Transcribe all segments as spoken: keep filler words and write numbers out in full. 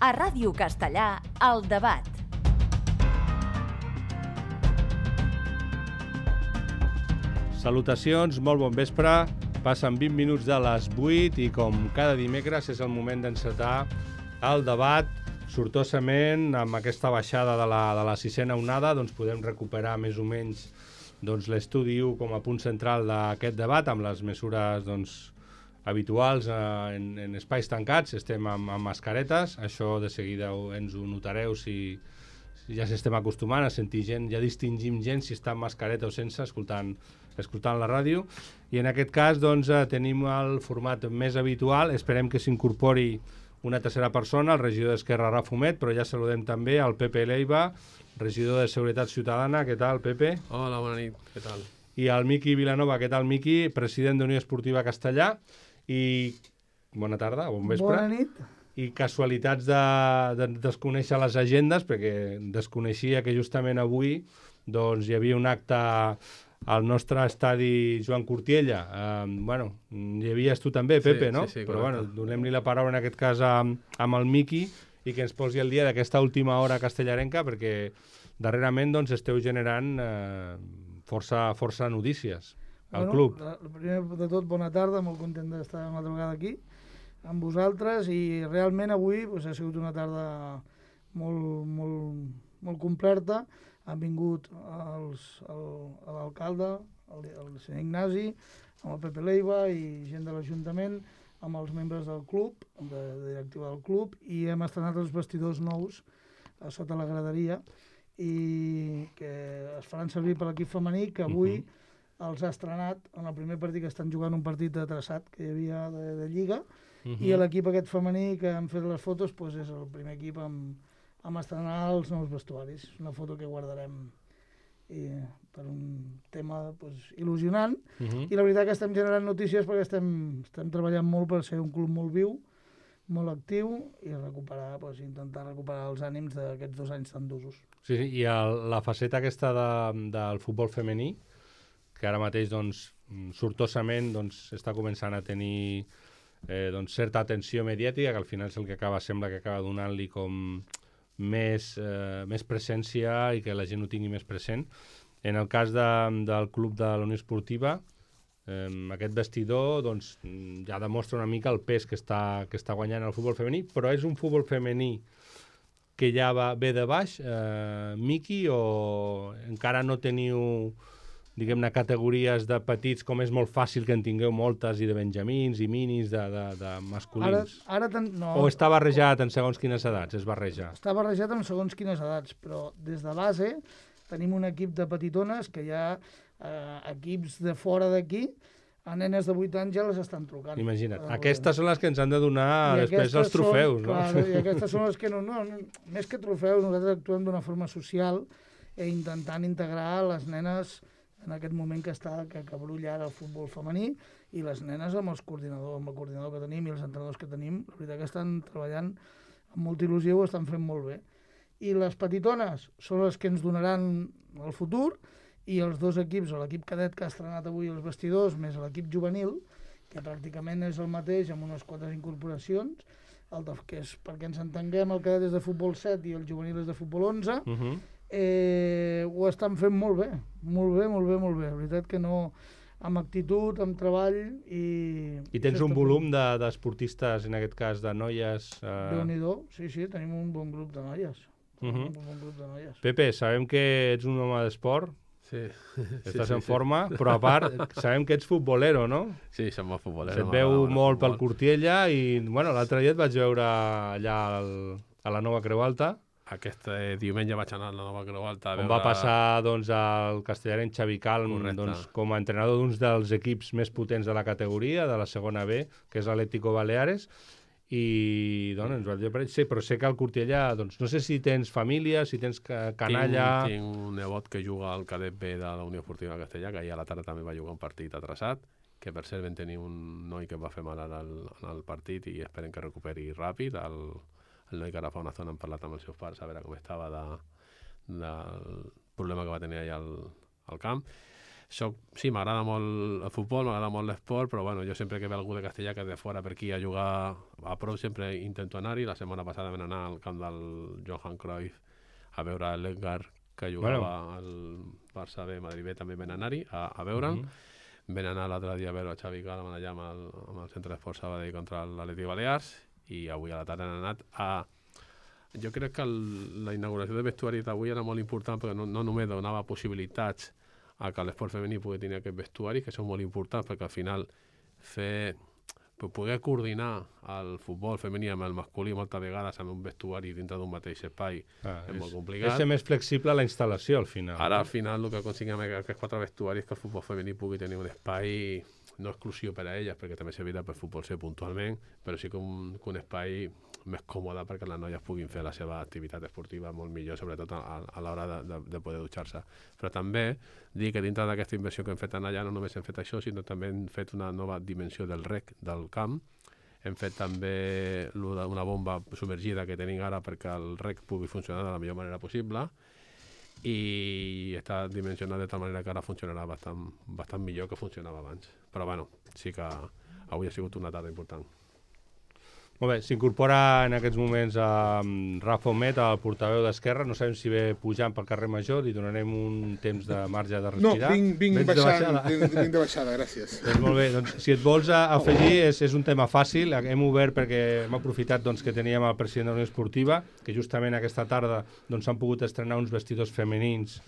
A Ràdio Castellà, El Debat. Salutacions, molt bon vespre. Passen vint minuts de les vuit i com cada dimecres és el moment d'encetar el debat. Sortosament, amb aquesta baixada de la, de la sisena onada, doncs podem recuperar més o menys doncs, l'estudi u com a punt central d'aquest debat, amb les mesures doncs, habituals eh, en, en espais tancats. Estem amb, amb mascaretes, això de seguida ens ho notareu si, si ja s'estem acostumant a sentir gent, ja distingim gent si està amb mascareta o sense, escoltant, escoltant la ràdio. I en aquest cas doncs, eh, tenim el format més habitual, esperem que s'incorpori una tercera persona, el regidor d'Esquerra, Rafa Humet, però ja saludem també el Pepe Leiva, regidor de Seguretat Ciutadana. Què tal, Pepe? Hola, bona nit, què tal? I el Miqui Vilanova. Què tal, Miqui? President d'Unió Esportiva Castellà. I bona tarda, bon vespre. Bona nit. I casualitats de, de desconèixer les agendes, perquè desconeixia que justament avui doncs, hi havia un acte al nostre estadi Joan Cortiella. Eh, bueno, hi havies tu també, Pepe, sí, no? Sí, sí, però correcte. bueno, donem-li la paraula en aquest cas amb, amb el Miqui i que ens posi al dia d'aquesta última hora castellarenca, perquè darrerament doncs, esteu generant eh, força, força notícies al bueno, club. La, primer de tot, bona tarda, molt content d'estar una altra vegada aquí amb vosaltres, i realment avui pues, ha sigut una tarda molt, molt, molt completa. Han vingut els, el, l'alcalde, el, el senyor Ignasi, amb el Pepe Leiva i gent de l'Ajuntament, amb els membres del club, de, de directiva del club, i hem estrenat els vestidors nous a sota la graderia, i que es faran servir per l'equip femení, que avui uh-huh. els ha estrenat en el primer partit, que estan jugant un partit de traçat que hi havia de, de Lliga, uh-huh. i l'equip aquest femení que han fet les fotos pues, és el primer equip amb, amb estrenar els nous vestuaris. És una foto que guardarem i, per un tema pues, il·lusionant, uh-huh. i la veritat que estem generant notícies perquè estem, estem treballant molt per ser un club molt viu, molt actiu, i recuperar, pues, intentar recuperar els ànims d'aquests dos anys tan d'usos. Sí, sí, i el, la faceta aquesta de, del futbol femení, que ara mateix doncs, sortosament doncs, està començant a tenir eh, doncs, certa atenció mediàtica, que al final és el que acaba, sembla que acaba donant-li com més, eh, més presència i que la gent ho tingui més present. En el cas de, del club de la Unió Esportiva, eh, aquest vestidor doncs, ja demostra una mica el pes que està, que està guanyant el futbol femení, però és un futbol femení que ja va, ve de baix, eh, Miqui, o encara no teniu diguem-ne, categories de petits, com és molt fàcil que en tingueu moltes, i de benjamins, i minis, de, de, de masculins? Ara, ara ten... no, o està barrejat en segons quines edats? Es barreja? Està barrejat en segons quines edats, però des de base tenim un equip de petitones que hi ha eh, equips de fora d'aquí, a nenes de vuit anys ja les estan trucant. Imagina't, eh, aquestes són les que ens han de donar I després els trofeus, són, no? Clar, i aquestes són les que no, no, no... Més que trofeus, nosaltres actuem d'una forma social i intentant integrar les nenes en aquest moment que està, que, que brulla ara el futbol femení, i les nenes amb els coordinadors, amb el coordinador que tenim i els entrenadors que tenim, la veritat que estan treballant amb molta il·lusió, ho estan fent molt bé. I les petitones són les que ens donaran el futur, i els dos equips, l'equip cadet que ha estrenat avui els vestidors, més l'equip juvenil, que pràcticament és el mateix, amb unes quantes incorporacions, el de, que és, perquè ens entenguem, el cadet és de futbol set i el juvenil és de futbol onze, uh-huh. eh, ho estan fent molt bé, molt bé, molt bé, molt bé. La veritat que no, amb actitud, amb treball, i... I tens un volum de, d'esportistes, en aquest cas, de noies... Eh... Déu-n'hi-do, sí, sí, tenim un bon grup de noies. Uh-huh. Un bon grup de noies. Pepe, sabem que ets un home d'esport, sí. estàs sí, en sí, forma, sí. Però a part sabem que ets futbolero, no? Sí, som molt futbolero. Se't veu molt pel Cortiella, i bueno, l'altre dia et vaig veure allà al, a la Nova Creu Alta. Aquest eh, diumenge vaig anar a la Nova Creu Alta a veure... On va passar doncs, el castellarenc Xavi Calm doncs, com a entrenador d'uns dels equips més potents de la categoria, de la segona B, que és l'Atlético Baleares, i doncs, ens va dir, sí, però sé que al Cortiella, doncs, no sé si tens família, si tens canalla... Tinc, tinc un nebot que juga al cadet B de la Unió Esportiva Castellà, que ahir a la tarda també va jugar un partit atrasat, que per cert vam tenir un noi que va fer mal al, al partit i esperem que recuperi ràpid. El, el noi que ara fa una estona hem parlat amb els seus pares a veure com estava de, del problema que va tenir allà al, al camp. soc, sí, m'agrada molt el futbol, m'agrada molt l'esport, però bueno, jo sempre que ve algú de Castellà que és de fora per aquí a jugar a prou sempre intento anar-hi. La setmana passada vam anar al camp del Johan Cruyff a veure l'Edgar que jugava bueno. al Barça B, Madrid B, també vam anar-hi a, a veure'l. Mm-hmm. Vam anar l'altre dia a veure a Xavi Calm allà amb el, amb el centre d'esport Sabadell contra l'Atlètic Balears i avui a la tarda han anat a... Jo crec que el, la inauguració de vestuari d'avui era molt important perquè no, no només donava possibilitats a que l'esport femení pugui tenir aquest vestuari, que són molt importants, perquè al final fer, poder coordinar el futbol femení amb el masculí moltes vegades amb un vestuari dintre d'un mateix espai ah, és, és molt complicat. És ser més flexible la instal·lació al final. Ara al final el que aconseguim amb aquests quatre vestuaris és que el futbol femení pugui tenir un espai no exclusiu per a elles, perquè també servirà per futbol C puntualment, però sí que un, que un espai més còmode perquè les noies puguin fer la seva activitat esportiva molt millor, sobretot a, a l'hora de, de, de poder dutxar-se. Però també dir que dintre d'aquesta inversió que hem fet allà no només hem fet això, sinó també hem fet una nova dimensió del rec del camp. Hem fet també una bomba submergida que tenim ara perquè el rec pugui funcionar de la millor manera possible i està dimensionat de tal manera que ara funcionarà bastant, bastant millor que funcionava abans. Però bueno, sí que avui ha sigut una tarda important. Molt bé, s'incorpora en aquests moments a Rafa Omet, el portaveu d'Esquerra. No sabem si ve pujant pel carrer Major, li donarem un temps de marge de respirar. No, vinc, vinc, baixant, de vinc, vinc de baixada, gràcies. Doncs molt bé, doncs, si et vols afegir, és, és un tema fàcil. Hem obert perquè hem aprofitat doncs, que teníem el president de la Unió Esportiva, que justament aquesta tarda s'han doncs, pogut estrenar uns vestidors femenins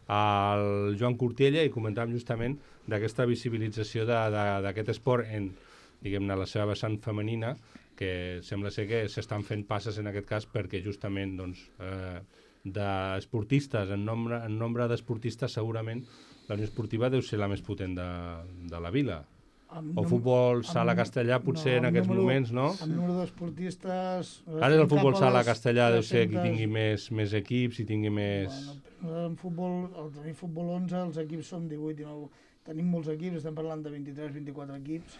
al Joan Cortiella i comentàvem justament d'aquesta visibilització d'aquest esport en, diguem-ne, la seva vessant femenina, que sembla ser que s'estan fent passes en aquest cas perquè justament doncs, eh, d'esportistes, en nombre, en nombre d'esportistes segurament la Unió Esportiva deu ser la més potent de, de la vila. Amb o futbol sala castellà potser no, en aquests número, moments, no? Amb número d'esportistes... Ara el futbol sala castellà deu ser qui tingui més, més equips i tingui més... Bueno, en futbol, al tenir futbol onze, els equips són divuit i nou. Tenim molts equips, estem parlant de vint-i-tres vint-i-quatre equips,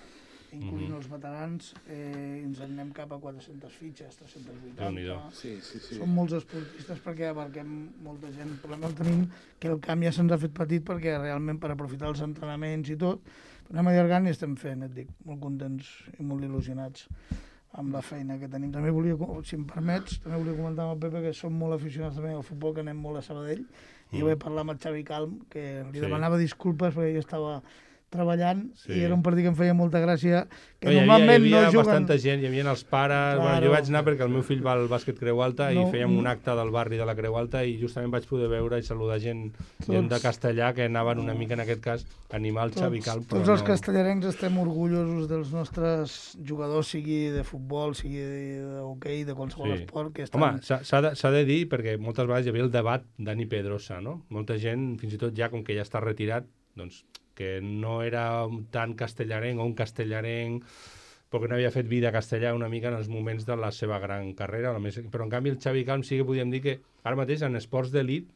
incloent mm-hmm. els veterans, eh, ens anem cap a quatre-centes fitxes, tres-centes vuitanta. Sí, sí, sí. Són molts esportistes perquè abarquem molta gent. El problema el tenim que el camp ja se'ns ha fet petit perquè realment per aprofitar els entrenaments i tot, però anem allargant i estem fent, et dic, molt contents i molt il·lusionats amb la feina que tenim. També volia, si em permets, també volia comentar amb el Pepe que som molt aficionats també al futbol, que anem molt a Sabadell, mm. i jo vaig parlar amb el Xavi Calm, que li sí. demanava disculpes perquè jo estava treballant sí. i era un partit que em feia molta gràcia que no, normalment hi havia, hi havia no juguen... bastanta gent, hi havia els pares, claro. Bueno, jo vaig anar perquè el meu fill va al bàsquet Creu Alta no, i fèiem un acte del barri de la Creu Alta i justament vaig poder veure i saludar gent, gent de castellà que anaven una mica en aquest cas a animar el tots, Xavi Calm. Tots els no... castellarencs estem orgullosos dels nostres jugadors, sigui de futbol, sigui d'hoquei, de qualsevol sí. esport que estan... Home, s'ha de, de dir, perquè moltes vegades hi havia el debat Dani Pedrosa, no? Molta gent, fins i tot ja com que ja està retirat, doncs que no era tan castellarenc o un castellarenc perquè no havia fet vida castellà una mica en els moments de la seva gran carrera, però en canvi el Xavi Calm sí que podíem dir que ara mateix en esports d'elit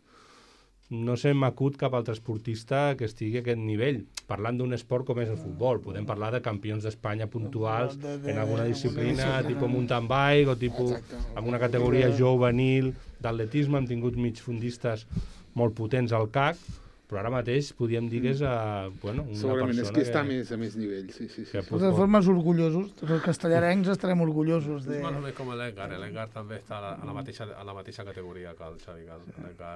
no se m'acut cap altre esportista que estigui a aquest nivell, parlant d'un esport com és el futbol. Podem parlar de campions d'Espanya puntuals de, de, en alguna disciplina, tipus mountain bike o tipus en una categoria juvenil d'atletisme, hem tingut migfundistes molt potents al C A C, però ara mateix podríem dir que és uh, bueno, una segurament, persona és que està que... més a més nivell, sí, sí, sí. De totes formes, orgullosos, tots els castellarencs estarem orgullosos de... És més o menys com l'Edgar, l'Edgar també està a la, a la, mateixa, a la mateixa categoria que el Xavi Calm. L'Edgar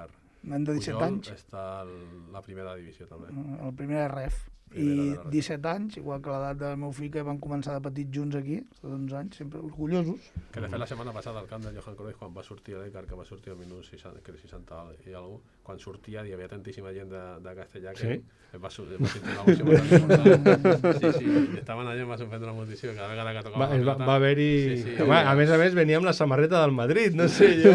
nen de disset anys. Està a la primera divisió també. El primer ref. I disset anys, igual que l'edat del meu fill, que van començar de petits junts aquí, de onze anys, sempre orgullosos. Que de fet la setmana passada al camp de Johan Cruyff, quan va sortir l'Edgar, que va sortir al minut seixanta, que seixanta i alguna cosa, quan sortia hi havia tantíssima gent de, de castellà que sí? va, va sentir una emoció molt important. Sí, sí, estaven allà, em va sorprendre moltíssim, cada vegada que tocava va, la pelota... Va haver-hi... Sí, sí, Home, a més a més, venia amb la samarreta del Madrid, no sé, jo...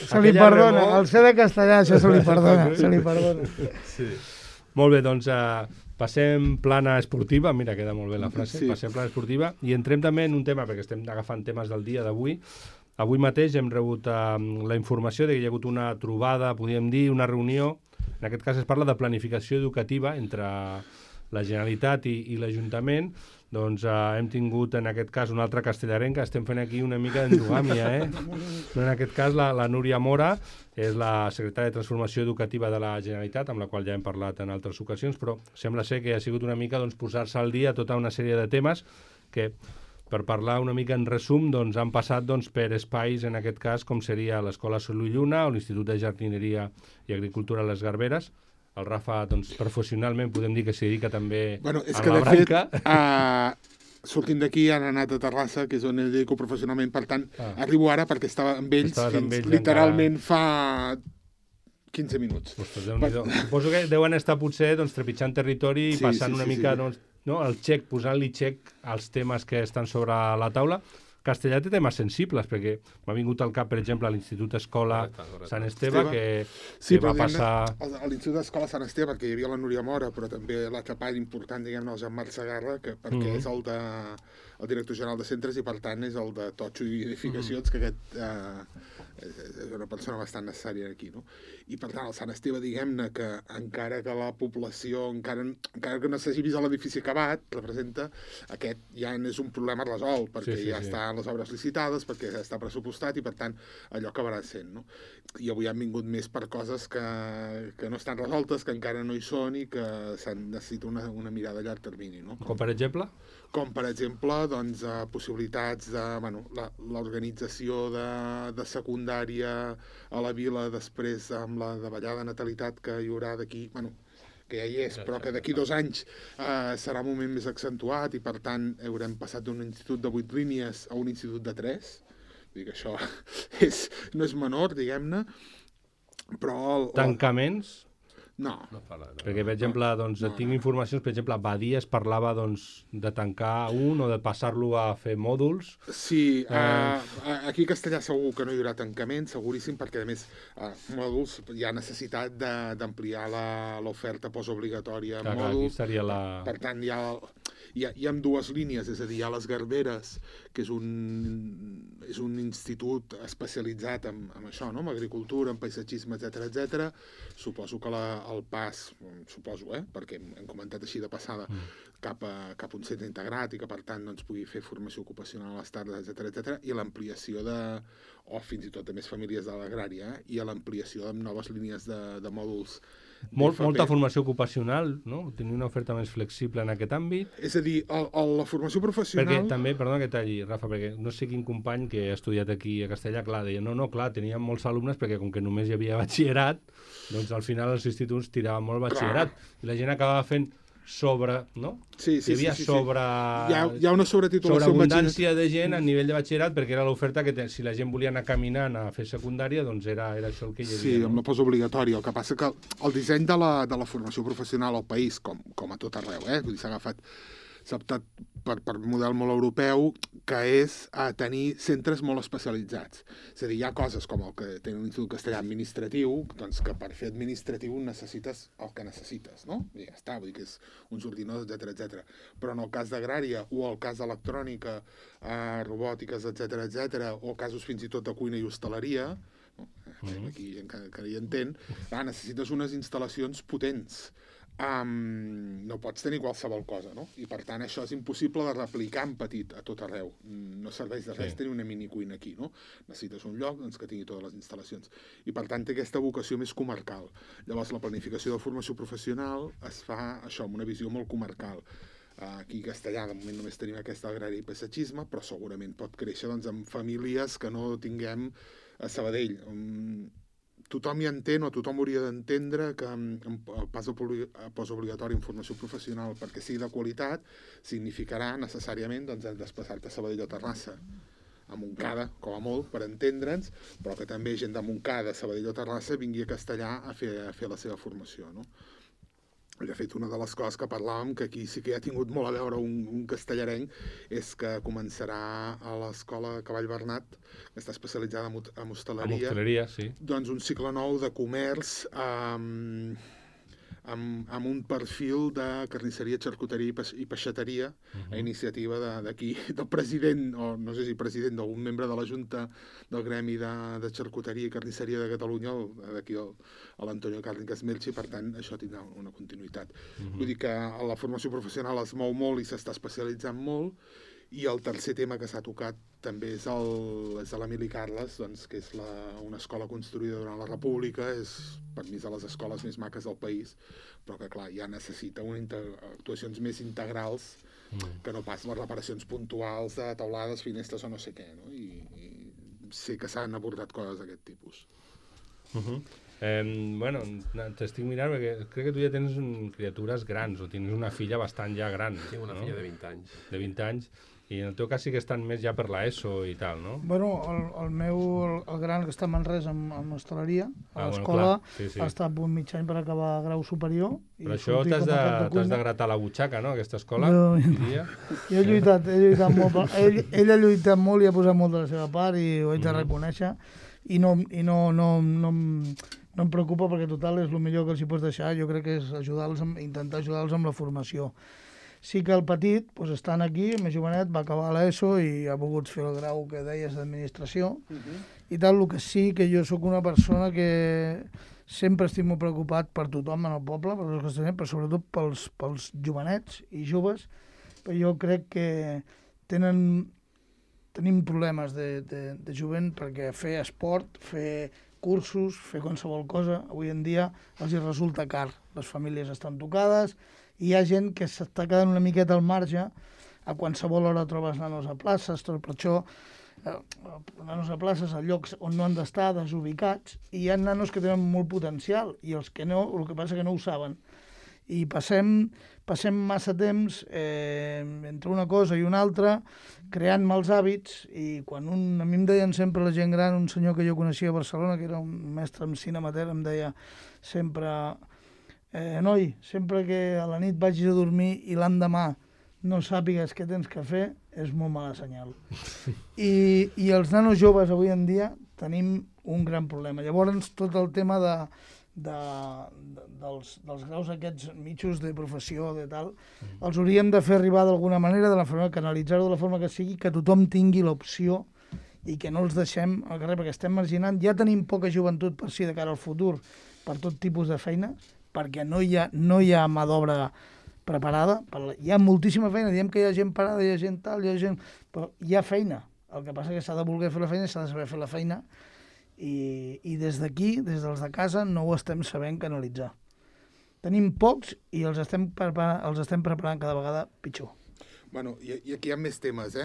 se li perdona, remor... el ser de castellà, això se li perdona, se li perdona. Sí. Molt bé, doncs... Uh... Passem plana esportiva, mira, queda molt bé la frase, sí. Passem plana esportiva, i entrem també en un tema, perquè estem agafant temes del dia d'avui. Avui mateix hem rebut uh, la informació de que hi ha hagut una trobada, podríem dir, una reunió, en aquest cas es parla de planificació educativa entre la Generalitat i, i l'Ajuntament, doncs eh, hem tingut en aquest cas un altre castellarenc que estem fent aquí una mica d'endogàmia, eh? No, en aquest cas la, la Núria Mora és la secretària de Transformació Educativa de la Generalitat, amb la qual ja hem parlat en altres ocasions, però sembla ser que ha sigut una mica doncs, posar-se al dia tota una sèrie de temes que, per parlar una mica en resum, doncs, han passat doncs, per espais, en aquest cas, com seria l'Escola Sol i Lluna o l'Institut de Jardineria i Agricultura a les Garberes. El Rafa, doncs, professionalment, podem dir que s'hi dedica també bueno, és a que, la de branca. Fet, uh, sortint d'aquí han anat a Terrassa, que és on em dedico professionalment, per tant, ah. arribo ara perquè estava amb ells Estaves fins amb ells literalment encara... fa quinze minuts. Ostres, per... Suposo que deuen estar potser doncs, trepitjant territori i sí, passant sí, una sí, mica sí. doncs, no, el xec, posant-li xec als temes que estan sobre la taula. Castellà té temes sensibles, perquè m'ha vingut al cap, per exemple, a l'Institut Escola correcte, correcte. Sant Esteve, Esteve. que, sí, que va passar... A l'Institut Escola Sant Esteve, perquè hi havia la Núria Mora, però també l'altre part important, diguem-ne, el Jean-Marc Segarra, que, perquè mm -hmm. és el, de, el director general de centres i, per tant, és el de Totxo i Edificacions, mm -hmm. que aquest eh, és una persona bastant necessària aquí, no? I, per tant, el Sant Esteve, diguem-ne, que encara que la població, encara, encara que no s'hagi vist l'edifici acabat, representa, aquest ja és un problema resolt, perquè sí, sí, ja sí. estan les obres licitades, perquè ja està pressupostat i, per tant, allò acabarà sent, no? I avui han vingut més per coses que, que no estan resoltes, que encara no hi són i que necessita una, una mirada a llarg termini, no? Com, per exemple? Com, per exemple, doncs, eh, possibilitats de, bueno, l'organització de, de secundària a la vila després amb la davallada natalitat que hi haurà d'aquí, bueno, que ja hi és, però que d'aquí dos anys eh, serà un moment més accentuat i, per tant, haurem passat d'un institut de vuit línies a un institut de tres. Vull dir que això és, no és menor, diguem-ne, però... El, Tancaments? No. no parla, no. Perquè, per exemple, doncs, no, tinc no. informacions, per exemple, a Badia es parlava doncs, de tancar un o de passar-lo a fer mòduls. Sí, eh... uh, aquí a Castellà segur que no hi haurà tancament, seguríssim, perquè, a més, uh, mòduls, hi ha necessitat d'ampliar l'oferta postobligatòria en mòduls. Seria la... Per tant, hi ha, hi, ha, hi ha dues línies, és a dir, hi ha les Garberes, que és un, és un institut especialitzat en, en això, no? En agricultura, en paisatgisme, etcètera, etcètera. Suposo que la, el pas, suposo, eh? Perquè hem comentat així de passada, mm. cap, a, cap a un centre integrat i que, per tant, doncs, pugui fer formació ocupacional a les tardes, etcètera, etcètera, i l'ampliació de, o fins i tot de més famílies de l'agrària, eh? I a l'ampliació de noves línies de, de mòduls. Molt, molta formació ocupacional, no? Tenir una oferta més flexible en aquest àmbit. És a dir, el, el, la formació professional... Perquè també, perdona que talli, Rafa, perquè no sé quin company que ha estudiat aquí a Castellà, clar, deia, no, no, clar, teníem molts alumnes perquè com que només hi havia batxillerat, doncs al final els instituts tiraven molt batxillerat clar. I la gent acabava fent sobre, no? Sí, sí, hi havia sí, sí, sobre... Hi ha, hi ha una sobretitulació... Sobreabundància de gent a nivell de batxillerat, perquè era l'oferta que te, si la gent volia anar caminant a fer secundària, doncs era, era això el que hi havia. Sí, no? amb la postobligatòria. El que passa que el disseny de la, de la formació professional al país, com, com a tot arreu, eh? Vull dir, s'ha agafat s'ha optat per, per model molt europeu, que és a tenir centres molt especialitzats. És a dir, hi ha coses com el que té un institut castellà administratiu, doncs que per fer administratiu necessites el que necessites, no? I ja està, vull dir que és uns ordinadors, etcètera, etcètera. Però en el cas d'agrària o el cas d'electrònica, eh, robòtiques, etcètera, etcètera, o casos fins i tot de cuina i hostaleria, no? Mm-hmm. Aquí encara que hi entén, ah, necessites unes instal·lacions potents. Um, no pots tenir qualsevol cosa, no? I per tant això és impossible de replicar en petit a tot arreu. No serveix de res sí. tenir una minicuina aquí, no? Necessites un lloc doncs, que tingui totes les instal·lacions. I per tant té aquesta vocació més comarcal. Llavors la planificació de formació professional es fa això, amb una visió molt comarcal. Aquí a Castellà de moment només tenim aquesta agrària i paisatgisme, però segurament pot créixer doncs, amb famílies que no tinguem a Sabadell. Um, Tothom hi entén o tothom hauria d'entendre que el pas postobligatori en formació professional, perquè sigui de qualitat, significarà necessàriament doncs, desplaçar-te a Sabadell o Terrassa, a Montcada, com a molt, per entendre'ns, però que també gent de Montcada, Sabadell o Terrassa vingui a Castellà a fer, a fer la seva formació, no? De fet, una de les coses que parlàvem, que aquí sí que ha tingut molt a veure un, un castellarenc, és que començarà a l'escola Cavall Bernat, que està especialitzada en, en hostaleria, en hostaleria sí. doncs un cicle nou de comerç, um, amb, amb un perfil de carnisseria, xarcuteria i, peix, i peixateria uh -huh. a iniciativa d'aquí, de, del president, o no sé si president, d'algun membre de la Junta del Gremi de, de Xarcuteria i Carnisseria de Catalunya, d'aquí l'Antonio Cárnicas Melchi, per tant, això tindrà una continuïtat. Uh -huh. Vull dir que la formació professional es mou molt i s'està especialitzant molt, i el tercer tema que s'ha tocat també és, el, és l'Emili Carles, doncs, que és la, una escola construïda durant la República, és per mi és de les escoles més maques del país, però que clar, ja necessita una actuacions més integrals mm. que no pas les reparacions puntuals de taulades, finestres o no sé què, no? I, i sé que s'han abordat coses d'aquest tipus. Uh -huh. eh, bueno, t'estic mirant perquè crec que tu ja tens un, criatures grans, o tens una filla bastant ja gran. Tinc una no? filla de vint anys. De vint anys. I en el teu cas sí que estan més ja per l'ESO i tal, no? Bueno, el, el meu, el, el gran que està a Manresa amb, amb hostaleria, a ah, l'escola, bueno, sí, sí. ha estat un mig any per acabar grau superior. Però això t'has de, de, de gratar la butxaca, no?, aquesta escola? Jo, jo he lluitat, he lluitat molt, per, ell, ell ha lluitat molt i ha posat molt de la seva part i ho haig de reconèixer, i no, i no, no, no, no em preocupa perquè total és el millor que els hi pots deixar, jo crec que és ajudar-los, intentar ajudar-los amb la formació. Sí que el petit, doncs, estant aquí, el més jovenet, va acabar l'ESO i ha pogut fer el grau que deies d'administració. Uh -huh. I tal, el que sí que jo sóc una persona que sempre estic molt preocupat per tothom en el poble, per els que estem, però sobretot pels, pels jovenets i joves, però jo crec que tenen, tenim problemes de, de, de jovent perquè fer esport, fer cursos, fer qualsevol cosa, avui en dia els hi resulta car. Les famílies estan tocades, i hi ha gent que s'està quedant una miqueta al marge, a qualsevol hora trobes nanos a places, tot per això, eh, nanos a places a llocs on no han d'estar, desubicats, i hi ha nanos que tenen molt potencial, i els que no, el que passa que no ho saben. I passem, passem massa temps eh, entre una cosa i una altra, creant mals hàbits, i quan un, a mi em deien sempre la gent gran, un senyor que jo coneixia a Barcelona, que era un mestre en cine amateur, em deia sempre... Eh, noi, sempre que a la nit vagis a dormir i l'endemà no sàpigues què tens que fer, és molt mala senyal. I, i els nanos joves avui en dia tenim un gran problema. Llavors, tot el tema de, de, de, dels, dels graus aquests mitjos de professió, de tal, mm. els hauríem de fer arribar d'alguna manera, de la forma, canalitzar-ho de la forma que sigui, que tothom tingui l'opció i que no els deixem al carrer, perquè estem marginant. Ja tenim poca joventut per si de cara al futur, per tot tipus de feina, perquè no hi ha, no hi ha mà d'obra preparada. Hi ha moltíssima feina, diem que hi ha gent parada, hi ha gent tal, hi ha gent... però hi ha feina. El que passa és que s'ha de voler fer la feina, s'ha de saber fer la feina, i, i des d'aquí, des dels de casa, no ho estem sabent canalitzar. Tenim pocs i els estem preparant, els estem preparant cada vegada pitjor. Bueno, i, i aquí hi ha més temes, eh?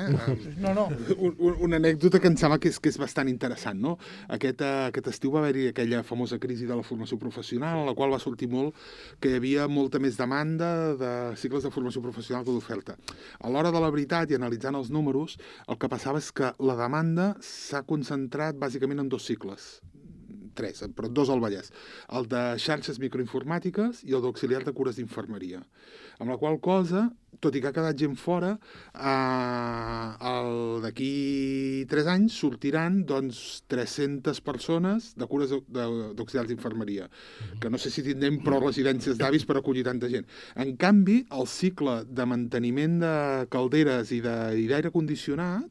No, no. Un, un, una anècdota que em sembla que és, que és bastant interessant, no? Aquest, uh, aquest estiu va haver-hi aquella famosa crisi de la formació professional, en la qual va sortir molt que hi havia molta més demanda de cicles de formació professional que d'oferta. A l'hora de la veritat, i analitzant els números, el que passava és que la demanda s'ha concentrat bàsicament en dos cicles, tres, però dos al Vallès, el de xarxes microinformàtiques i el d'auxiliar de cures d'infermeria. Amb la qual cosa, tot i que ha quedat gent fora, eh, d'aquí tres anys sortiran doncs, tres-centes persones de cures d'auxiliars d'infermeria, que no sé si tindrem prou residències d'avis per acollir tanta gent. En canvi, el cicle de manteniment de calderes i d'aire condicionat,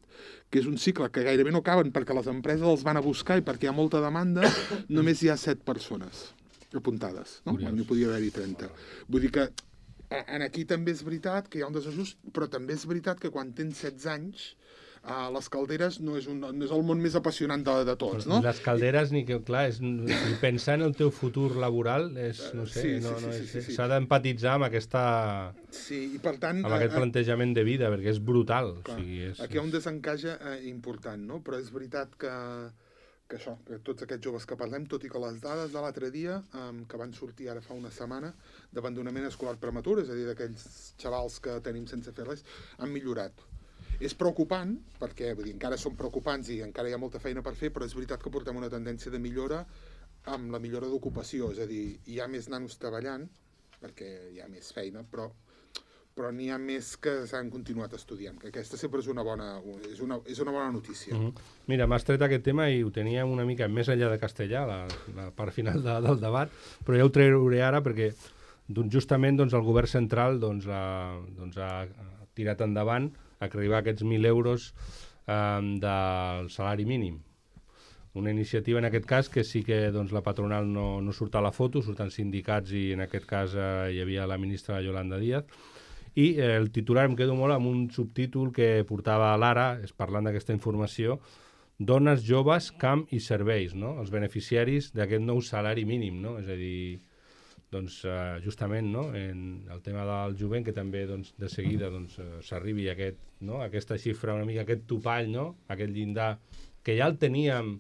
que és un cicle que gairebé no acaben perquè les empreses els van a buscar i perquè hi ha molta demanda, només hi ha set persones apuntades, no? N'hi podia haver-hi trenta. Vull dir que en aquí també és veritat que hi ha un desajust, però també és veritat que quan tens setze anys Uh, les calderes no és, un, no és el món més apassionant de, de tots, no? Les calderes, ni que, clar, és, pensar en el teu futur laboral, és, no sé, sí, no, sí, no, sí, sí, sí. s'ha d'empatitzar amb aquesta... Sí, i per tant... amb aquest plantejament de vida, perquè és brutal. Clar, o sigui, és, aquí hi ha un desencaix eh, important, no? Però és veritat que, que això, que tots aquests joves que parlem, tot i que les dades de l'altre dia, um, que van sortir ara fa una setmana, d'abandonament escolar prematur, és a dir, d'aquells xavals que tenim sense fer res, han millorat. És preocupant, perquè vull dir, encara són preocupants i encara hi ha molta feina per fer, però és veritat que portem una tendència de millora amb la millora d'ocupació, és a dir, hi ha més nanos treballant, perquè hi ha més feina, però, però n'hi ha més que s'han continuat estudiant, que aquesta sempre és una bona, és una, és una bona notícia. Mm-hmm. Mira, m'has tret aquest tema i ho teníem una mica més enllà de castellà, la, la part final de, del debat, però ja ho trauré ara perquè doncs, justament doncs, el govern central doncs, ha, doncs, ha tirat endavant a arribar a aquests mil euros eh, del salari mínim. Una iniciativa, en aquest cas, que sí que doncs, la patronal no, no surt a la foto, surten sindicats i en aquest cas eh, hi havia la ministra Yolanda Díaz. I eh, el titular em quedo molt amb un subtítol que portava l'Ara, és parlant d'aquesta informació, dones, joves, camp i serveis, no? Els beneficiaris d'aquest nou salari mínim, no? És a dir, doncs, eh, justament, no? En el tema del jovent, que també doncs, de seguida doncs, eh, s'arribi a aquest, no? aquesta xifra, una mica aquest topall, no? Aquest llindar, que ja el teníem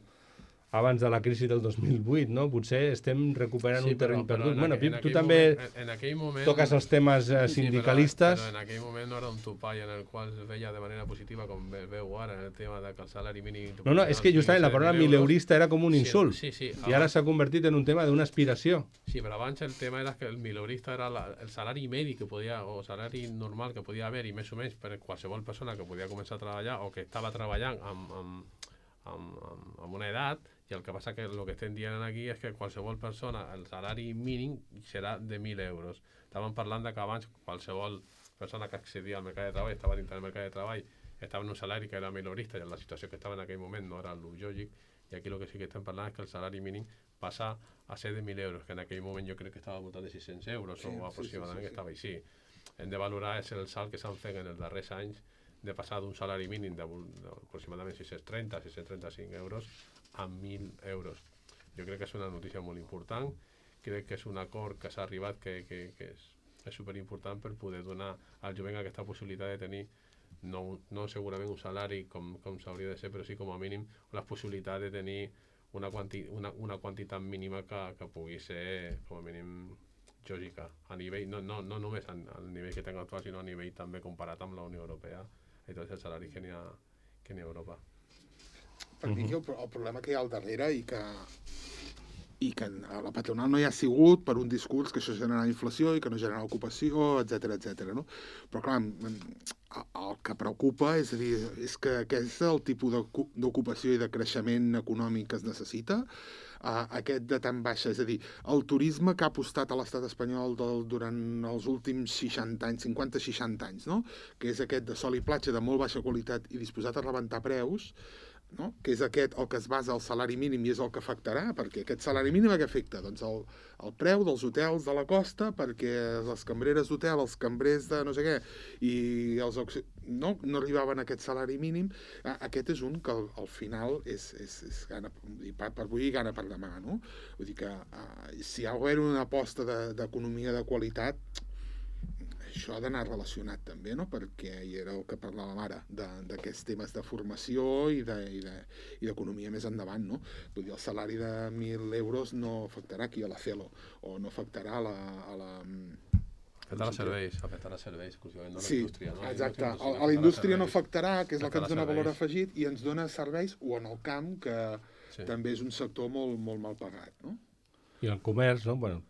abans de la crisi del dos mil vuit, no? Potser estem recuperant sí, un terreny perdut. Bueno, Pip, tu també moment, en, en moment, toques els temes eh, sindicalistes. Sí, però, però en aquell moment no era un topall en el qual es veia de manera positiva, com veu ara, en el tema de que el salari mínim... No, no, és que justament la paraula mileurista era com un insult. Sí, sí, sí, i ara s'ha convertit en un tema d'una aspiració. Sí, però abans el tema era que el mileurista era la, el salari medi que podia, o salari normal que podia haver, i més o menys per qualsevol persona que podia començar a treballar o que estava treballant amb, amb, amb, amb, amb una edat. I el que passa que el que estem dient aquí és que qualsevol persona, el salari mínim serà de mil euros. Estàvem parlant de que abans qualsevol persona que accedia al mercat de treball, estava dintre del mercat de treball, estava en un salari que era minorista i en la situació que estava en aquell moment no era el lògic, i aquí el que sí que estem parlant és que el salari mínim passa a ser de mil euros, que en aquell moment jo crec que estava al voltant de sis-cents euros sí, o aproximadament sí, sí, sí, sí. que estava així. Hem de valorar és el salt que s'han fet en els darrers anys de passar d'un salari mínim d'aproximadament sis-cents trenta a sis-cents trenta-cinc euros a mil euros. Jo crec que és una notícia molt important, crec que és un acord que s'ha arribat que, que, que és, és superimportant per poder donar al jovent aquesta possibilitat de tenir no, no segurament un salari com, com s'hauria de ser, però sí com a mínim la possibilitat de tenir una, quanti, una, una quantitat mínima que, que pugui ser com a mínim lògica, a nivell, no, no, no només al nivell que tenim actual, sinó a nivell també comparat amb la Unió Europea i tots els salaris que n'hi ha, que n'hi ha a Europa. Per mi el, el problema que hi ha al darrere i que, i que a la patronal no hi ha sigut per un discurs que això genera inflació i que no genera ocupació, etcètera, etcètera, no? Però clar, el que preocupa és, a dir, és que aquest és el tipus d'ocupació i de creixement econòmic que es necessita, uh, aquest de tan baixa, és a dir, el turisme que ha apostat a l'estat espanyol del, durant els últims seixanta anys, cinquanta a seixanta anys, no? Que és aquest de sol i platja de molt baixa qualitat i disposat a rebentar preus, no? Que és aquest el que es basa al salari mínim i és el que afectarà, perquè aquest salari mínim què afecta? Doncs el, el preu dels hotels de la costa, perquè les cambreres d'hotel, els cambrers de no sé què, i els no, no arribaven a aquest salari mínim. Aquest és un que al, al final és, és, és gana per, per bullir i gana per demà, no? Vull dir que uh, si hi ha d'haver una aposta d'economia de, de qualitat, això ha d'anar relacionat també, no? Perquè hi era el que parlàvem ara, d'aquests temes de formació i d'economia de, de, més endavant, no? Vull dir, el salari de mil euros no afectarà aquí a la Celo, o no afectarà a la... A la afectarà serveis, afectarà serveis, exclusivament, no a la sí, indústria. No? Exacte, a, a la indústria no afectarà, que és la que ens dona valor afegit, i ens dona serveis, o en el camp, que sí. També és un sector molt, molt mal pagat, no? I el comerç, no? Bueno,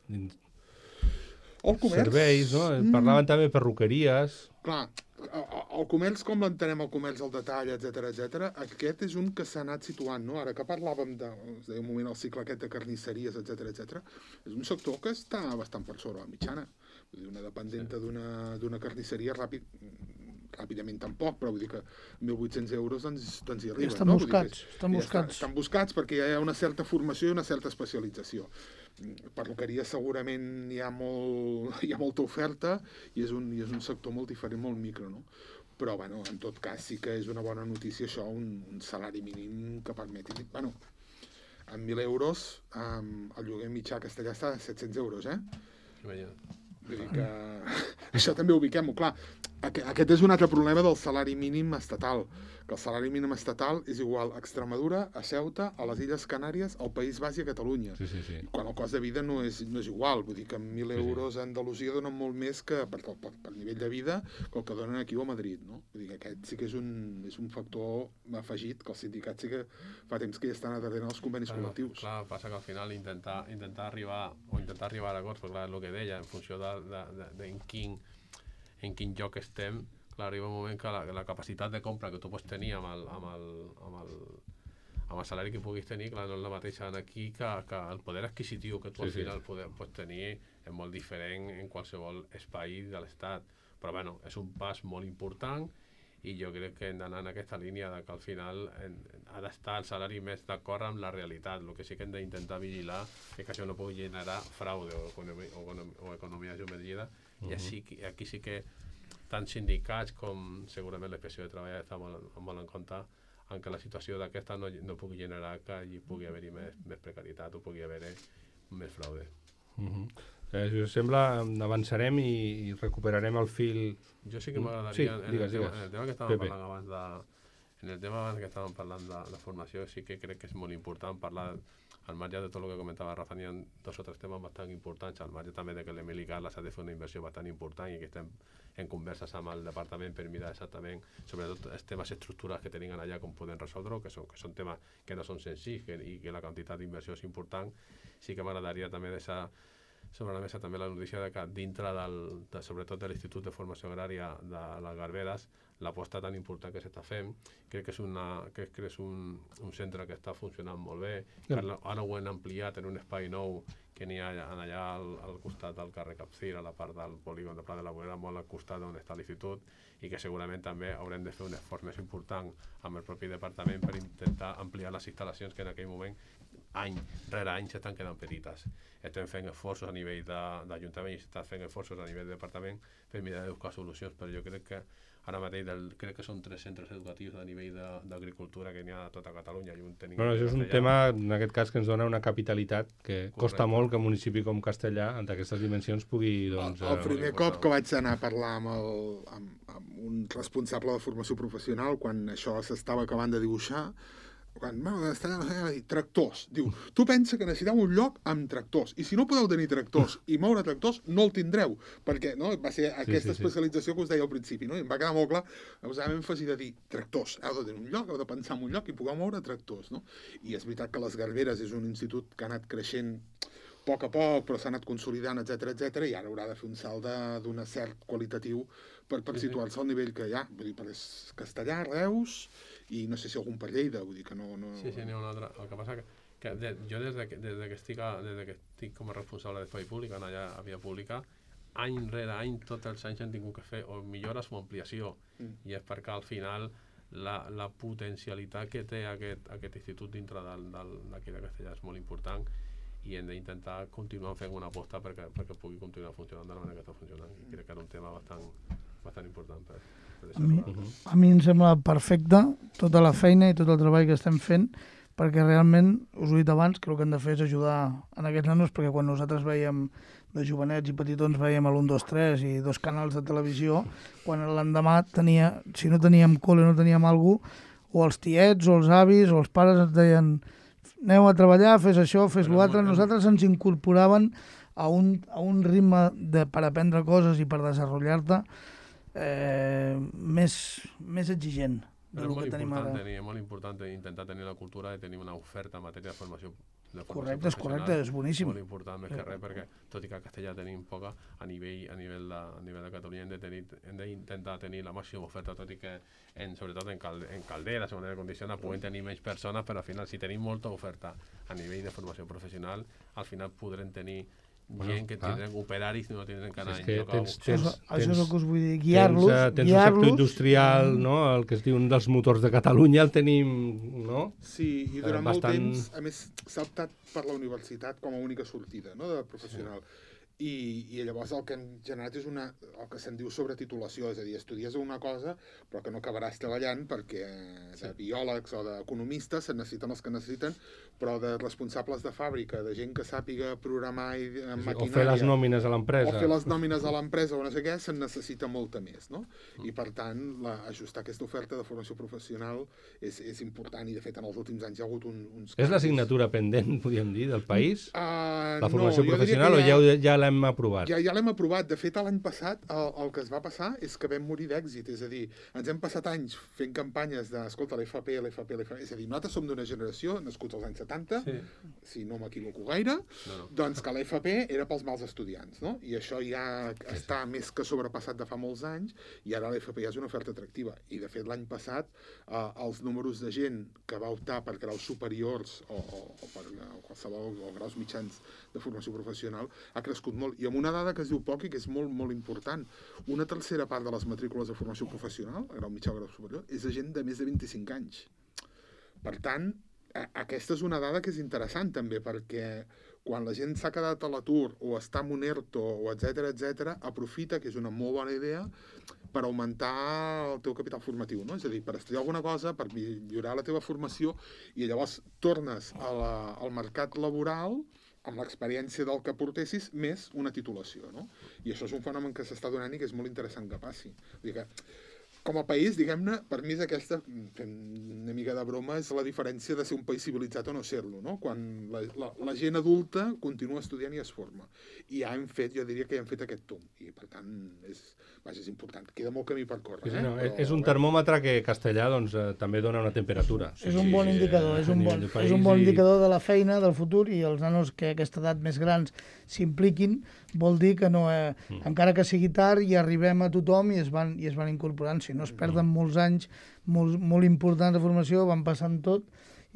el comerç... serveis, no? Parlaven mm. també de perruqueries. Clar, el comerç, com l'entenem, el comerç al detall, etcètera, etcètera, aquest és un que s'ha anat situant, no? Ara que parlàvem de, de un moment, el cicle aquest de carnisseries, etcètera, etcètera, és un sector que està bastant per sobre la mitjana. Vull dir, una dependenta sí. d'una carnisseria ràpid, ràpidament tampoc, però vull dir que mil vuit-cents euros doncs, doncs hi arriben. Estan no? buscats, que, estan buscats. Estan buscats perquè hi ha una certa formació i una certa especialització. Perruqueria segurament hi ha, molt, hi ha molta oferta i és, un, i és un sector molt diferent, molt micro, no? Però, bueno, en tot cas sí que és una bona notícia això, un, un salari mínim que permeti... Bueno, amb mil euros, um, el lloguer mitjà castellà està a set-cents euros, eh? Imagina't. Vull dir que això també ho ubiquem-ho, clar. Aquest és un altre problema del salari mínim estatal, que el salari mínim estatal és igual a Extremadura, a Ceuta, a les Illes Canàries, al País Basc i a Catalunya. Sí, sí, sí. Quan el cost de vida no és, no és igual, vull dir que amb mil euros a Andalusia donen molt més que per, per, per nivell de vida que el que donen aquí o a Madrid, no? Vull dir que aquest sí que és un, és un factor afegit, que els sindicats sí que fa temps que ja estan darrere els convenis clar, col·lectius. Clar, passa que al final intentar, intentar arribar o intentar arribar a acords, perquè clar, és el que deia, en funció de, de, de, de en quin en quin lloc estem, clar, arriba un moment que la, la capacitat de compra que tu pots tenir amb el, amb el, amb el, amb el salari que puguis tenir, clar, no és la mateixa aquí que, que el poder adquisitiu que tu sí, al final sí. poder, pots tenir és molt diferent en qualsevol espai de l'Estat. Però bueno, és un pas molt important i jo crec que hem d'anar en aquesta línia de que al final en, ha d'estar el salari més d'acord amb la realitat. El que sí que hem d'intentar vigilar és que això no pugui generar fraude o economia, o economia, o economia submergida. Uh -huh. I així, aquí sí que tant sindicats com segurament la Inspecció de Treball està molt, molt en compte en que la situació d'aquesta no, no pugui generar que hi pugui haver-hi més, més precarietat o pugui haver-hi més fraude. Uh -huh. Eh, si us sembla, avançarem i, i recuperarem el fil. Jo sí que m'agradaria, sí, en, digues, el tema, digues. en el tema que estàvem Pepe. parlant abans de, en el tema abans que estàvem parlant de la formació, sí que crec que és molt important parlar, al marge de tot el que comentava Rafa, n'hi ha dos o tres temes bastant importants, al marge també de que l'Emili Carles ha de fer una inversió bastant important i que estem en converses amb el departament per mirar exactament, sobretot els temes estructurals que tenim allà, com poden resoldre, que són, que són temes que no són senzills que, i que la quantitat d'inversió és important. Sí que m'agradaria també deixar sobre la mesa també la notícia de que dintre del, de, sobretot de l'Institut de Formació Agrària de les Garberes, l'aposta tan important que s'està fent, crec que és, una, crec que és un, un centre que està funcionant molt bé, que ara, ara ho hem ampliat en un espai nou que n'hi ha allà al, al costat del carrer Capcir, a la part del polígon de Pla de la Vorera, molt al costat on està l'institut, i que segurament també haurem de fer un esforç més important amb el propi departament per intentar ampliar les instal·lacions que en aquell moment any rere any s'estan quedant petites. Estem fent esforços a nivell d'Ajuntament i s'estan fent esforços a nivell de departament per mirar de buscar solucions, però jo crec que ara mateix del, crec que són tres centres educatius a nivell d'agricultura que n'hi ha a tota Catalunya. I un tenim bueno, això és un tema, en aquest cas, que ens dona una capitalitat que Correcte. Costa molt que un municipi com Castellà, en aquestes dimensions, pugui... Doncs, el, el primer cop que vaig anar a parlar amb, el, amb, amb un responsable de formació professional, quan això s'estava acabant de dibuixar, quan va dir tractors, diu, tu pensa que necessiteu un lloc amb tractors, i si no podeu tenir tractors i moure tractors, no el tindreu, perquè no, va ser aquesta sí, sí, especialització que us deia al principi, no? I em va quedar molt clar, posàvem èmfasi de dir tractors, heu de tenir un lloc, heu de pensar en un lloc i pugueu moure tractors, no? I és veritat que les Garberes és un institut que ha anat creixent a poc a poc, però s'ha anat consolidant, etcètera, etcètera, i ara haurà de fer un salt d'un cert qualitatiu per, per situar-se al nivell que hi ha, vull dir, per Castellà, Reus, i no sé si algun per Lleida, vull dir que no... no... Sí, sí, n'hi ha un altre. El que passa que, que de, jo des de, des, de que estic a, des de que estic com a responsable d'espai públic, en allà a Via Pública, any rere any, tots els anys hem tingut que fer o millores o ampliació, mm. i és perquè al final la, la potencialitat que té aquest, aquest institut dintre d'aquí de Castellà és molt important i hem d'intentar continuar fent una aposta perquè, perquè pugui continuar funcionant de la manera que està funcionant. I crec que era un tema bastant, bastant important per, per a, mi, a mi em sembla perfecte tota la feina i tot el treball que estem fent, perquè realment, us ho he dit abans, que el que hem de fer és ajudar en aquests nanos, perquè quan nosaltres veiem de jovenets i petitons veiem l'un, dos, tres i dos canals de televisió, quan l'endemà tenia, si no teníem col·le, no teníem algú, o els tiets o els avis o els pares ens deien aneu a treballar, fes això, fes l'altre. Nosaltres ens incorporaven a un, a un ritme de, per aprendre coses i per desenvolupar-te eh, més, més exigent del que tenim ara. Tenir, és molt important intentar tenir la cultura de tenir una oferta en matèria de formació, de formació correcte, és correcte, és boníssim. Molt important, més que res, perquè tot i que a Castellà tenim poca, a nivell, a nivell, de, a nivell de Catalunya hem de tenir, hem d'intentar tenir la màxima oferta, tot i que en, sobretot en, calde, en calderes o en aire condicionat puguem tenir menys persones, però al final si tenim molta oferta a nivell de formació professional, al final podrem tenir bueno, gent que tindran operaris i no tindran que anar si és que tens, a tens, això, això és el que us vull dir, guiar-los. Tens, tens guiar un sector industrial, no? El que es diu un dels motors de Catalunya, el tenim, no? Sí, i durant bastant... molt temps, a més, s'ha optat per la universitat com a única sortida, no?, de professional. Sí. I, i llavors el que hem generat és una, el que se'n diu sobretitulació, és a dir, estudies una cosa però que no acabaràs treballant perquè de sí. biòlegs o d'economistes se'n necessiten els que necessiten, però de responsables de fàbrica, de gent que sàpiga programar i sí, maquinària... O fer les nòmines a l'empresa. O fer les nòmines a l'empresa o no sé què, se'n necessita molta més, no? Mm. I per tant, la, ajustar aquesta oferta de formació professional és, és important i de fet en els últims anys hi ha hagut un, uns canvis. És l'assignatura pendent, podríem dir, del país? Uh, la formació no, professional ja, o ja, ja l'hem aprovat? Ja, ja l'hem aprovat. De fet, l'any passat el, el que es va passar és que vam morir d'èxit, és a dir, ens hem passat anys fent campanyes de, escolta, l'F P, l'F P, l'F P, és a dir, nosaltres som d'una generació, nascuts als anys setanta, sí. si no m'equivoco gaire, no, no. doncs que l'F P era pels mals estudiants, no? I això ja sí, està sí. més que sobrepassat de fa molts anys, i ara l'F P ja és una oferta atractiva. I, de fet, l'any passat, eh, els números de gent que va optar per graus superiors o, o, o per o qualsevol o graus mitjans de formació professional ha crescut molt. I amb una dada que es diu poc i que és molt, molt important. Una tercera part de les matrícules de formació professional, a grau mitjà o grau superior, és de gent de més de vint-i-cinc anys. Per tant, aquesta és una dada que és interessant també, perquè quan la gent s'ha quedat a l'atur o està en un ERTO, o etcètera, etcètera, aprofita, que és una molt bona idea, per augmentar el teu capital formatiu, no? És a dir, per estudiar alguna cosa, per millorar la teva formació, i llavors tornes a la, al mercat laboral amb l'experiència del que portessis, més una titulació, no? I això és un fenomen que s'està donant i que és molt interessant que passi. Vull dir que, com a país, diguem-ne, per mi és aquesta, fent una mica de broma, és la diferència de ser un país civilitzat o no ser-lo, no? Quan la, la, la gent adulta continua estudiant i es forma. I ja hem fet, jo diria que ja hem fet aquest tomb. I, per tant, és, vaja, és important. Queda molt camí per córrer. Sí, eh? no, Però, és un termòmetre que Castellà doncs, eh, també dona una temperatura. És un bon indicador, és un bon, és un bon indicador de la feina, del futur, i els nanos que a aquesta edat més grans s'impliquin, vol dir que no, eh, mm. encara que sigui tard, hi arribem a tothom i es van, i es van incorporant. Si no es perden mm. molts anys molt, molt importants de formació, van passant tot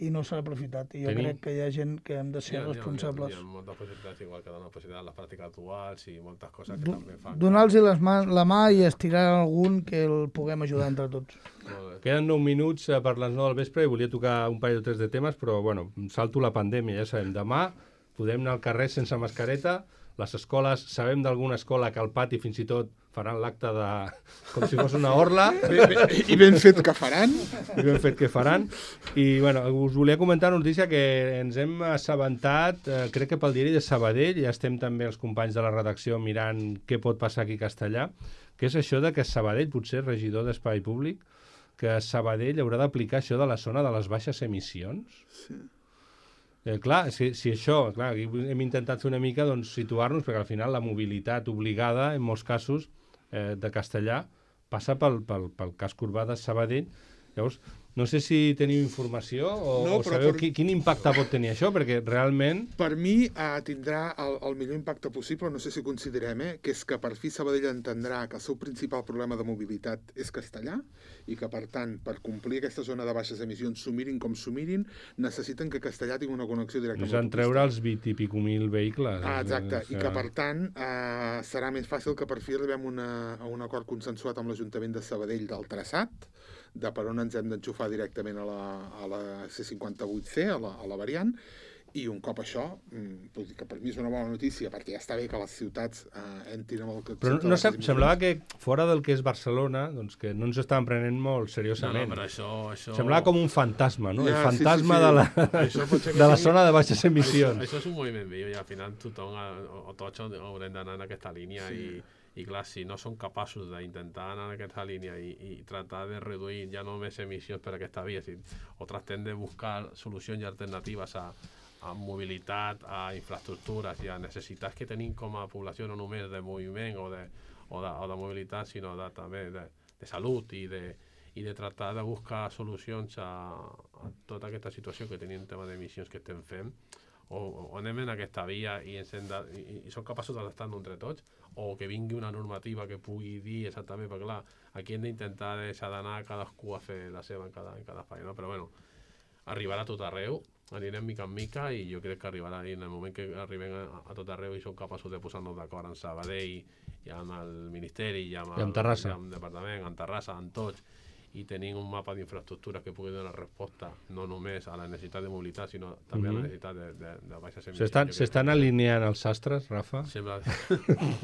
i no s'ha aprofitat. I jo Tenim... crec que hi ha gent que hem de ser hi ha, responsables. Hi ha, hi ha moltes possibilitats, igual que donar possibilitat a les pràctiques actuals i moltes coses que Do, també fan. Donar-los la mà i estirar algun que el puguem ajudar entre tots. Queden nou minuts per les nou del vespre i volia tocar un parell o tres de temes, però bueno, salto la pandèmia, ja sabem. Demà podem anar al carrer sense mascareta. Les escoles, sabem d'alguna escola que al pati fins i tot faran l'acte de... com si fos una orla. I ben fet que faran. I ben fet que faran. I bueno, us volia comentar una notícia que ens hem assabentat, eh, crec que pel diari de Sabadell, ja estem també els companys de la redacció mirant què pot passar aquí a Castellà, que és això de que Sabadell, potser regidor d'Espai Públic, que Sabadell haurà d'aplicar això de la zona de les baixes emissions. Sí. Eh, clar, si, si això, clar, aquí hem intentat fer una mica doncs, situar-nos, perquè al final la mobilitat obligada, en molts casos, eh, de Castellà, passa pel, pel, pel casc urbà de Sabadell. Llavors, no sé si teniu informació o, no, o sabeu per... quin impacte pot tenir això, perquè realment... Per mi eh, tindrà el, el millor impacte possible, no sé si considerem, eh, que és que per fi Sabadell entendrà que el seu principal problema de mobilitat és Castellà i que, per tant, per complir aquesta zona de baixes emissions, s'ho mirin com s'ho mirin, necessiten que Castellà tingui una connexió directa amb l'autopista. És treure els vint i pico mil vehicles. Ah, exacte, i que, per tant, eh, serà més fàcil que per fi arribem una, a un acord consensuat amb l'Ajuntament de Sabadell del traçat, de per on ens hem d'enxufar directament a la, a la C cinquanta-vuit C, a la, a la variant, i un cop això, que per mi és una bona notícia, perquè ja està bé que les ciutats eh, entrin amb el... Però no, no semblava que fora del que és Barcelona, doncs que no ens estaven prenent molt seriosament. No, no, però això... això... Semblava com un fantasma, no? Ja, el fantasma sí, sí, sí. de la, de la zona de baixes emissions. Això, això és un moviment viu i al final tothom, o tots haurem d'anar en aquesta línia sí. i... I clar, si no són capaços d'intentar anar en aquesta línia i, i tractar de reduir ja no més emissions per aquesta via, si, o tractem de buscar solucions i alternatives a, a mobilitat, a infraestructures i a necessitats que tenim com a població, no només de moviment o de, o de, o de mobilitat, sinó de, també de, de salut i de, i de tractar de buscar solucions a, a tota aquesta situació que tenim en tema d'emissions que estem fent, o, o anem en aquesta via i, ens hem de, i, i som capaços d'adaptar-nos entre tots, o que vingui una normativa que pugui dir exactament, perquè clar, aquí hem d'intentar deixar d'anar cadascú a fer la seva en cada, en cada espai, no? Però bueno, arribarà a tot arreu, anirem mica en mica i jo crec que arribarà, i en el moment que arribem a, a tot arreu i som capaços de posar-nos d'acord en Sabadell i amb el Ministeri i amb, I amb Terrassa. I amb el Departament, amb Terrassa, amb tots, i tenim un mapa d'infraestructures que pugui donar resposta no només a la necessitat de mobilitat, sinó també mm-hmm. a la necessitat de, de, de baixes emissions. S'estan alineant els sastres, Rafa? Sembla, sí,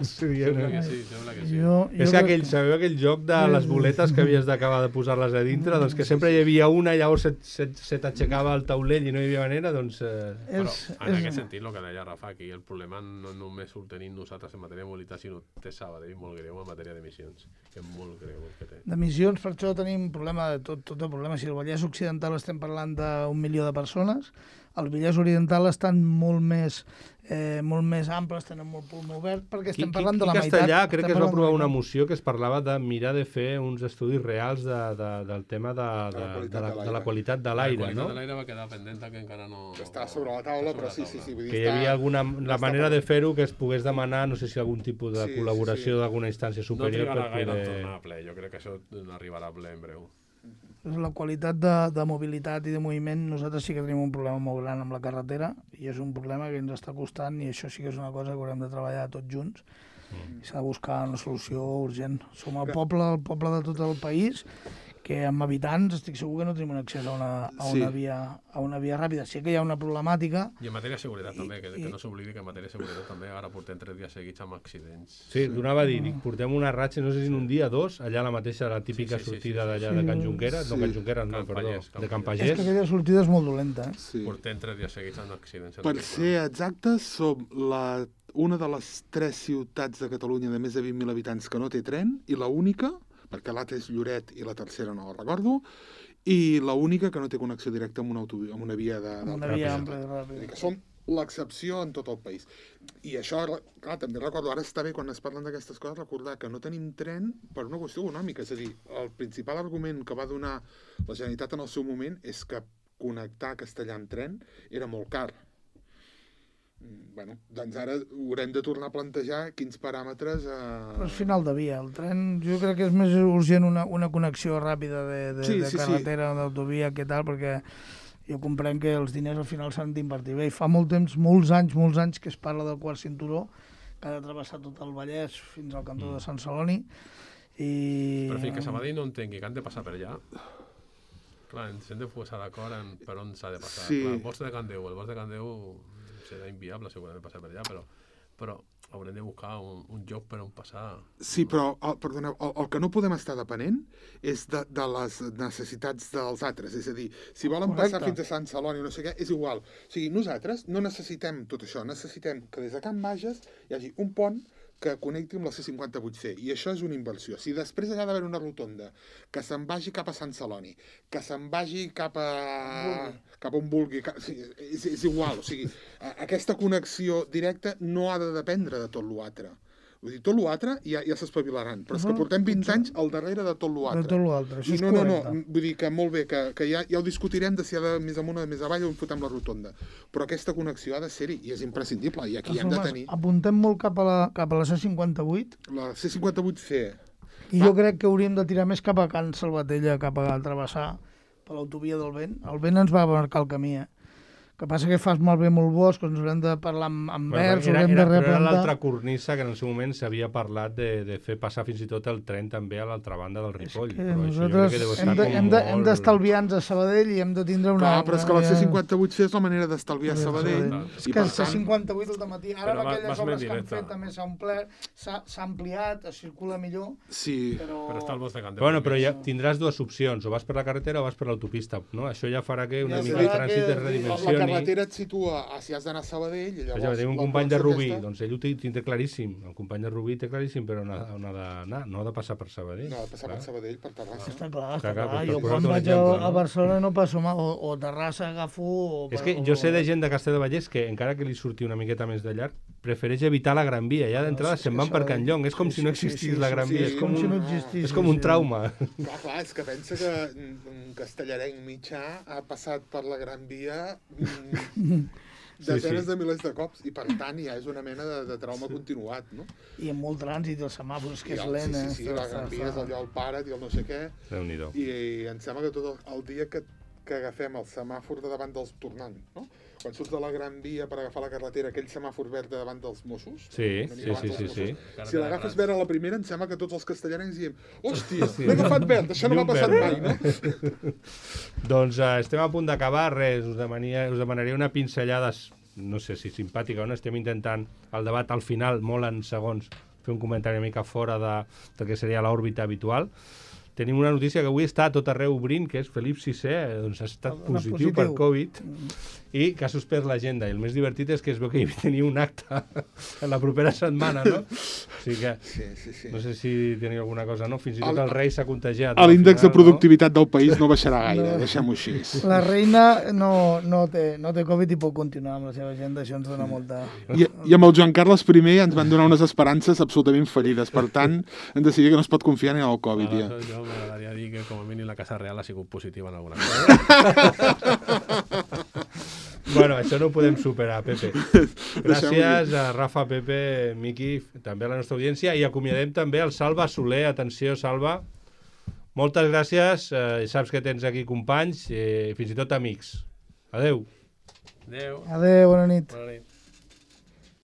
sembla que sí, sembla que sí. Jo, jo és que aquell, sabeu aquell joc de les boletes que havies d'acabar de posar-les a dintre? Doncs que sempre hi havia una i llavors se, se, se t'aixecava el taulell i no hi havia manera, doncs... Eh... Però en aquest sentit, el que deia Rafa, aquí el problema no només ho tenim nosaltres en matèria de mobilitat, sinó té Sabadell molt greu en matèria d'emissions, que és molt greu el que té. D'emissions, per això tenim un problema de tot, tot el problema. Si el Vallès Occidental estem parlant d'un milió de persones, el Vallès Oriental estan molt més, eh, molt més amples, tenen molt pulmó obert, perquè estem parlant de la meitat. Castellà crec que es va aprovar una moció que es parlava de mirar de fer uns estudis reals de, de, del tema de, de, de, la, de la qualitat de l'aire, no? La qualitat de l'aire va quedar pendent que encara no... Està sobre la taula, però sí, sí, sí. Vull dir, que hi havia alguna la manera de fer-ho que es pogués demanar, no sé si algun tipus de sí, col·laboració sí, sí. d'alguna instància superior. No trigarà gaire poder... en tornar a ple, jo crec que això arribarà a ple en breu. La qualitat de, de mobilitat i de moviment, nosaltres sí que tenim un problema molt gran amb la carretera i és un problema que ens està costant i això sí que és una cosa que haurem de treballar tots junts. Mm. S'ha de buscar una solució urgent. Som el poble, el poble de tot el país, que amb habitants estic segur que no tenim un accés a una, a una, sí. via, a una via ràpida. Sí que hi ha una problemàtica. I en matèria de seguretat I, també, que, i, que no s'oblidi que en matèria de seguretat també ara portem tres dies seguits amb accidents. Sí, donava a dir, dic, portem una ratxa, no sé si en un dia, dos, allà la mateixa, la típica sí, sí, sortida sí, sí, d'allà sí. de Can Junqueras, sí. no Can Junqueras, no, Can perdó, Pagès, Can de Can Pagès. Pagès. És que aquella sortida és molt dolenta, eh? Sí. Portem tres dies seguits amb accidents. Per ser exactes, som la, una de les tres ciutats de Catalunya de més de vint mil habitants que no té tren, i la única, perquè l'altra és Lloret i la tercera no la recordo, i la única que no té connexió directa amb una, autovi- amb una via de, Una via ampla i ràpida. que som l'excepció en tot el país. I això, clar, també recordo, ara està bé quan es parlen d'aquestes coses, recordar que no tenim tren per una qüestió econòmica. És a dir, el principal argument que va donar la Generalitat en el seu moment és que connectar Castellà en tren era molt car. Bueno, doncs ara haurem de tornar a plantejar quins paràmetres... Eh... Però és final de via. El tren, jo crec que és més urgent una, una connexió ràpida de, de, sí, de sí, carretera, sí. d'autovia, que tal, perquè jo comprenc que els diners al final s'han d'invertir bé. I fa molt temps, molts anys, molts anys que es parla del quart cinturó, que ha de travessar tot el Vallès fins al cantó mm. de Sant Celoni. I... Però fins que Sabadell no entengui que han de passar per allà, clar, ens hem de posar d'acord en per on s'ha de passar. Sí. Clar, el bosc de Can Déu, el bosc de Can Déu serà inviable segurament passar per allà, però, però haurem de buscar un, un lloc per on passar. Sí, però, el, perdoneu, el, el que no podem estar depenent és de, de les necessitats dels altres. És a dir, si volen Correcte. passar fins a Sant Celoni o no sé què, és igual. O sigui, nosaltres no necessitem tot això, necessitem que des de Can Bages hi hagi un pont que connecti amb la C cinquanta-vuit C, i això és una inversió. Si després allà ha d'haver una rotonda que se'n vagi cap a Sant Celoni, que se'n vagi cap a, cap a on vulgui, cap... sí, és, és igual, o sigui, aquesta connexió directa no ha de dependre de tot l'altre. Vull dir, tot l'altre ja, ja s'espavilaran, però és que portem vint anys al darrere de tot l'altre. De tot l'altre, això és no, no, no, correcte. vull dir que molt bé, que, que ja, ja ho discutirem de si ha de més amunt o de més avall on fotem la rotonda, però aquesta connexió ha de ser-hi i és imprescindible, i aquí hem de tenir... Apuntem molt cap a la, cap a la C cinquanta-vuit. La C cinquanta-vuit C. I jo crec que hauríem de tirar més cap a Can Salvatella, cap a travessar per l'autovia del vent. El vent ens va marcar el camí, eh? Que passa que fas malbé molt bosc, ens haurem de parlar amb, amb bueno, verds, era, haurem era, de replantar... Era l'altra cornisa que en el seu moment s'havia parlat de, de fer passar fins i tot el tren també a l'altra banda del Ripoll. És que però nosaltres això hem, de, hem, de, hem d'estalviar-nos a Sabadell i hem de tindre una... Clar, però és que la C cinquanta-vuit C és la manera d'estalviar a Sabadell. És que el C cinquanta-vuit al matí, ara amb aquelles obres que han fet també s'ha omplert, s'ha ampliat, es circula millor, sí. però... Però està el bosc de Can Déu. Bueno, però ja tindràs dues opcions, o vas per la carretera o vas per l'autopista, no? Això ja farà que una Ja mica el farà trànsit que- es redimensioni. La carretera et situa a si has d'anar a Sabadell i llavors... Ja, tenim un la company de plaça Rubí, aquesta- doncs ell ho té, té claríssim, el company de Rubí té claríssim, però on ha, on ha d'anar, no ha de passar per Sabadell. No, ha de passar per Sabadell, per Terrassa. Està clar, està Clar, clar, clar. però Jo per quan posar-te un vaig a, exemple, a no? Barcelona no passo mal, o, o Terrassa agafo... O, És que jo sé de gent de Castellar de Vallès que, encara que li surti una miqueta més de llarg, prefereix evitar la Gran Via. Ja d'entrada sí, se'n sí, van per això- Can Llong. És com sí, si no sí, sí, existís sí, la sí, Gran sí, Via. és És com com si un, no existís, és com sí, un sí. trauma. Clar, clar, és que pensa que un castellarenc mitjà ha passat per la Gran Via mm, desenes sí. de milers de cops, i per tant ja és una mena de, de trauma continuat, no? I amb molt trànsit, els semàfors, que I és el- lent, sí, eh? sí, sí, la Gran Via és allò al paret i el no sé què, Déu-n'hi-do. i, i em sembla que tot el, el dia que, que agafem el semàfor de davant dels tornant, no? Quan surts de la Gran Via per agafar la carretera, aquell semàfor verd de davant dels Mossos, Sí, una sí, mica abans sí, dels sí, sí. Mossos, si l'agafes verd a la primera, em sembla que tots els castellarencs diem hòstia, Sí. l'he agafat verd, això no m'ha Llum passat verd, mai, no? Doncs uh, estem a punt d'acabar, res, us demanaria, us demanaria una pinzellada, no sé si simpàtica o no, estem intentant el debat al final, molt en segons, fer un comentari una mica fora de, del que seria l'òrbita habitual. Tenim una notícia que avui està a tot arreu obrint, que és Felip sisè, doncs ha estat Una positiu, positiu. per Covid, i que ha suspès l'agenda. I el més divertit és que es veu que hi tenia un acte en la propera setmana, no? O sigui que, Sí, sí, sí. no sé si teniu alguna cosa, no? Fins i tot El- el rei s'ha contagiat. no? L'índex Al de final, productivitat del país no baixarà gaire, No. deixem-ho així. La reina no, no, té, no té Covid i pot continuar amb la seva agenda, això ens dona molta... I, I amb el Joan Carles primer ens van donar unes esperances absolutament fallides, per tant, hem decidit que no es pot confiar ni en el Covid, ja. Aleshores, jo m'agradaria dir que com a mínim la Casa Real ha sigut positiva en alguna cosa. Bueno, això no ho podem superar, Pepe. Gràcies a Rafa, Pepe, Miqui, també a la nostra audiència, i acomiadem també el Salva Soler. Atenció, Salva. moltes gràcies. Eh, saps que tens aquí companys i eh, fins i tot amics. Adeu. Adéu. Adéu, bona nit. Bona nit.